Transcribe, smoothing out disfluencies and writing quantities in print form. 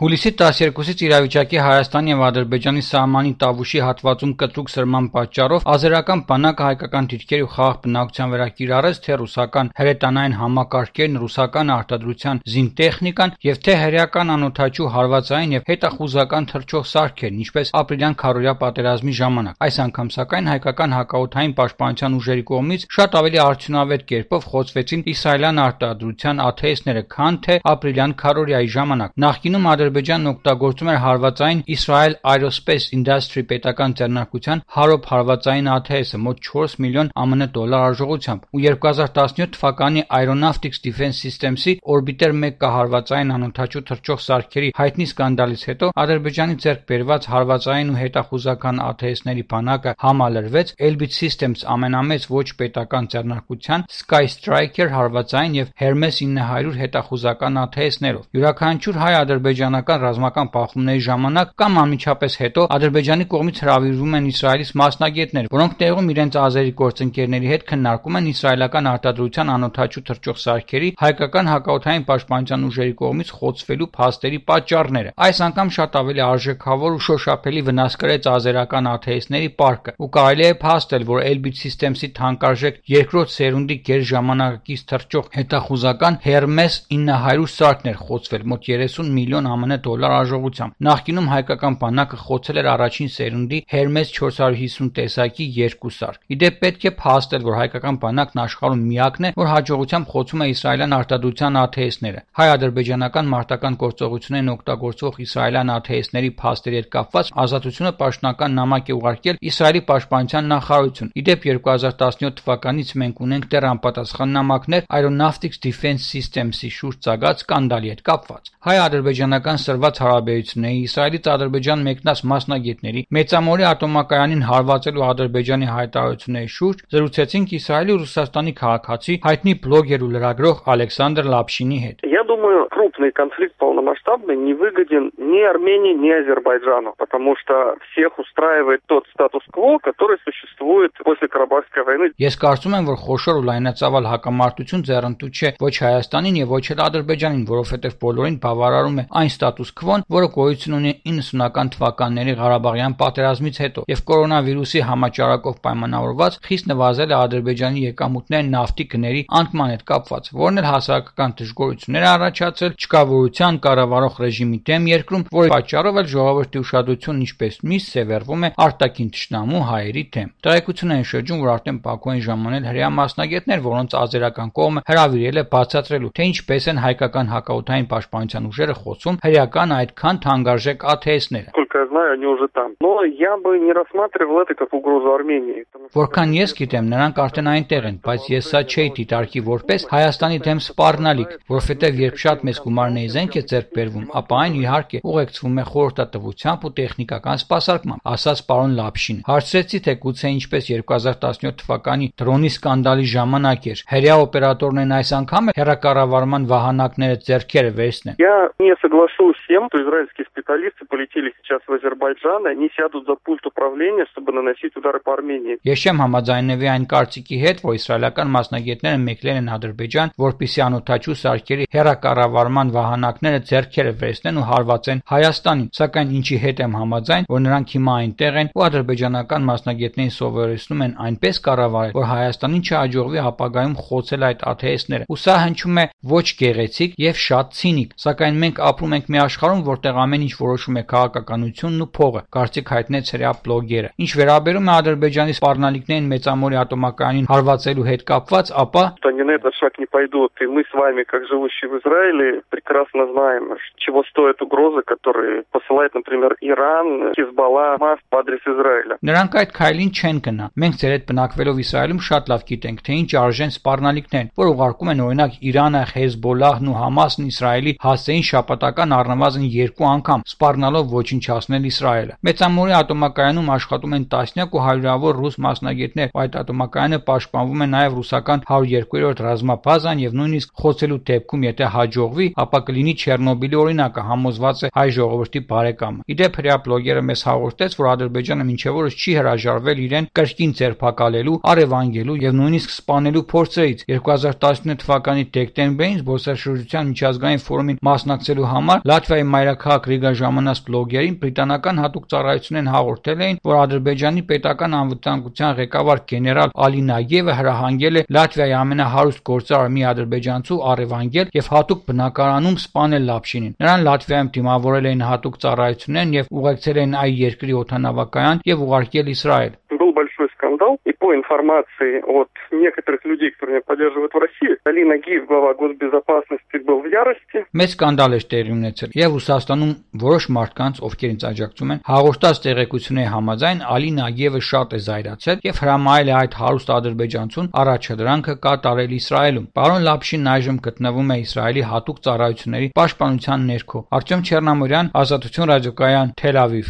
Հուլիսի 12-ից իրավիճակի Հայաստանի և Ադրբեջանի սահմանի Տավուշի հատվածում կտրուկ սրման պատճառով ազերական բանակը հայկական դիրքեր ու խաղաղ բնակչության վրա կիրառեց թե ռուսական հրետանային համակարգերն, ռուսական արտադրության զինտեխնիկան և թե հրեական անօդաչու հարվածային և հետախուզական թռչող սարքերն, ինչպես ապրիլյան քարոզիա պատերազմի ժամանակ։ Այս անգամ սակայն հայկական հակաօդային պաշտպանության ուժերի կողմից շատ ավելի արդյունավետ կերպով խոցվեցին իսրայելյան արտադրության ԱԹՍ-ները, քան թե ապրիլյան քարոզիայի ժամանակ։ Նախկինում Ադրբեջանն օգտագործում էր հարվածային Israel Aerospace Industry պետական ձեռնարկության Harop հարվածային ԱԹՍ-ը մոտ 4 միլիոն ԱՄՆ արժողությամբ ու 2017 թվականի Aeronautics Defense Systems-ի Orbiter 1 կահարվածային անօդաչու թռչող սարքերի հայտնի սկանդալից հետո Ադրբեջանի ձեռք բերված հարվածային ու հետախուզական ԱԹՍ-ների բանակը համալրվեց Elbit Systems ամենամեծ ոչ պետական ձեռնարկության Sky Striker հարվածային և Hermes 900 հետախուզական ԱԹՍ-ներով։ Յուրաքանչյուր հայ-ադրբեջանական ռազմական բախումների ժամանակ կամ անմիջապես հետո Ադրբեջանի կողմից հրավիրվում են Իսրայելից մասնագետներ, որոնք տեղում իրենց ազերի գործընկերների հետ քննարկում են իսրայելական արտադրության անօդաչու թռչող սարքերի հայկական հակաօդային պաշտպանության ուժերի կողմից խոցվելու փաստերի պատճառները։ Այս անգամ շատ ավելի արժեքավոր ու շոշափելի վնաս կրեց ազերական ԱԹՍ-ների պարկը, ու կարելի է փաստել, որ Elbit Systems-ի թանկարժեք երկրորդ սերունդի գերժամանակակից թռչող հետախուզական Hermes 900 սարքն էր խոցվել մոտ 30 միլիոն ԱՄՆ արժողությամբ։ Նախկինում հայկական բանակը խոցել էր առաջին սերունդի Hermes 450 տեսակի 2 սարք։ Իդեպ պետք է փաստել, որ հայկական բանակն աշխարհում միակն է, որ հաջողությամբ խոցում է իսրայելյան արտադրության ԱԹՍ-ները։ Հայ-ադրբեջանական մարտական գործողություններին օգտագործվող իսրայելյան ԱԹՍ-ների փաստերի հետ կապված Ազատությունը պաշտոնական նամակ է ուղարկել Իսրայելի պաշտպանության նախարարություն։ Իդեպ 2017 թվականից մենք ունենք դեռ անպատասխան նամակներ Aeronautics Defense Systems-ի շուրջ ծագած սկանդալի հետ կապված։ Հայ-ադրբեջանական սրված հարաբերությունների, Իսրայելից Ադրբեջան մեկնած մասնագետների, Մեծամորի ատոմակայանին հարվածելու Ադրբեջանի հայտարարությունների շուրջ զրուցեցինք Իսրայելի ու Ռուսաստանի քաղաքացի, հայտնի բլոգեր ու լրագրող Ալեքսանդր Լապշինի հետ։ Я думаю, крупный конфликт полномасштабный не выгоден ни Армении, ни Азербайджану, потому что всех устраивает тот статус-кво, который существует после Карабахской войны. Ես կարծում եմ, որ խոշոր ու լայնածավալ հակամարտություն ձեռնտու չէ ոչ Հայաստանին եւ ոչ էլ Ադրբեջանին, որովհետեւ բոլորին բավարարում է այն ստատուս քվոն, որը գոյություն ունի 90-ական թվականների Ղարաբաղյան պատերազմից հետո, եւ կորոնավիրուսի համաճարակով պայմանավորված խիստ նվազել է Ադրբեջանի եկամուտները նավթի գների անկման հետ կապված, որն էլ հասարակական դժգոհություններ է առաջացել չկավորության կառավարող ռեժիմի դեմ երկրում, որի պատճառով էլ ժողովրդի ուշադրությունն ինչպես միշտ սևեռվում է արտաքին թշնամու հայերի դեմ։ Տեղեկություն են շրջում, որ արդեն Բաքու են ժամանել հրեա масնագետներ, որոնց ազերական կողմը հրավիրել է բացատրելու, թե ինչպես են հայկական հակաօդային պաշտպանության ուժերը խոցում հրեական այդքան թանկարժեք ԱԹՍ-ները։ Сколько я знаю, они уже там. Но я бы не рассматривал это как угрозу Армении. Որքան ես գիտեմ, նրանք արդեն այնտեղ են, բայց ես սա չէի դիտարկի որպես Հայաստանի դեմ սպառնալիք, որովհետև երբ շատ մեծ գումարների զենք է ձեռք բերվում, ապա այն իհարկե ուղեկցվում է խորհրդատվությամբ ու տեխնիկական սպասարկմամբ, ասաց պարոն Լապշին։ Հարցրեցի, թե գուցե ինչպես 2017 թվականի դրոնի սկանդալի ժամանակ էր, հրեա օպերատորներն այս անգամ հեռակառավարման վահանակները ձեռքերը վերցնեն։ Я не соглашусь с тем, что израильские специалисты полетели сейчас в Азербайджан, и они сядут за пульт управления, чтобы наносить удары по Армении. Ես չեմ համաձայնվի այն կարծիքի հետ, որ իսրայելական մասնագետները մեկնել են Ադրբեջան, որպեսզի անօդաչու սարքերի հեռակառավարման վահանակները ձեռքերը վերցնեն ու հարվածեն Հայաստանին, սակայն ինչի հետ եմ համաձայն, որ նրանք հիմա այնտեղ են ու ադրբեջանական մասնագետներին սովորեցնում են այնպես կառավարել, որ Հայաստանին չհաջողվի ապագայում խոցել այդ ԱԹՍ-ները։ Ու սա հնչում է ոչ գեղեցիկ եւ շատ ցինիկ, սակայն մենք ապրում ենք մի աշխարհում, որտեղ ամեն ինչ որոշում է քաղաքականությունն ու փողը, կարծիք հայտնեց հրեա բլոգերը։ Ինչ վերաբերում է Ադրբեջանի սպառնալիքներին Մեծամորի ատոմակայանին հարվածելու հետ կապված, ապա они на этот шаг не пойдут, и мы с вами, как живущие в Израиле, прекрасно знаем, чего стоят угрозы, которые посылает, например, Иран, Хизбалла, МАС по адрес Израиля. Նրանք այդ քայլին չեն գնա։ Մենք ձեր հետ բնակվելով Իսրայելում շատ լավ գիտենք, թե ինչ արժեն սպառնալիքներն, որ ուղարկում են օրինակ Իրանը, Հեզբոլլահն ու Համասն Իսրայելի հասցեին շաբաթական առնվազն 2 անգամ, սպառնալով ոչնչացնել սպանել Իսրայելը։ Մեծամորի ատոմակայանում աշխատում են տասնյակ ու հարյուրավոր ռուս մասնագետներ, այդ ատոմակայանը պաշտպանվում է նաև ռուսական 102-րդ ռազմաբազան եւ նույնիսկ խոցելու դեպքում, եթե հաջողվի, ապա կլինի Չեռնոբիլի օրինակը, համոզված է հայ ժողովրդի բարեկամը։ Իդեպ հրեա բլոգերը մեզ հաղորդեց, որ Ադրբեջանը մինչև օրս չի հրաժարվել իրեն կրկին ձերբակալելու, առևանգելու եւ նույնիսկ սպանելու փորձերից։ 2019 թվականի դեկտեմբերին զբոսաշրջության միջազգային ֆորումին մասնակցելու համար Լատվիայի մայրաքաղաք Ռիգա ժամանած բլոգերին բրիտանական հատուկ ծառայությունեն հաղորդել էին, որ Ադրբեջանի պետական անվտանգության ղեկավար գեներալ Ալի Նագիևը հրահանգել է Լատվիայի ամենահարուստ գործարար մի ադրբեջանցու առևանգել եւ հատուկ բնակարանում սպանել Լապշինին։ Նրան Լատվիայում դիմավորել էին հատուկ ծառայություններն եւ ուղեկցել են այ երկրի օդանավակայան եւ ուղարկել Իսրայել։ Был большой скандал, и по информации от некоторых людей, которые меня поддерживают в России, Али Нагиев, глава госбезопасности, был в ярости. Մեծ սկանդալ էր տեղի ունեցել եւ Ռուսաստանում որոշ մարդկանց, ովքեր ինձ աջակցում են, հաղորդած տեղեկությունների համաձայն Ալի Նագիևը շատ է զայրացել եւ հրամայել է այդ հարուստ ադրբեջանցուն առաջադրանքը կատարել Իսրայելում։ Պարոն Լապշինն այժմ գտնվում է Իսրայելի հատուկ ծառայությունների պաշտպանության ներքո։ Արտյոմ Չեռնամորյան, Ազատություն ռադիոկայան, Թել Ավիվ։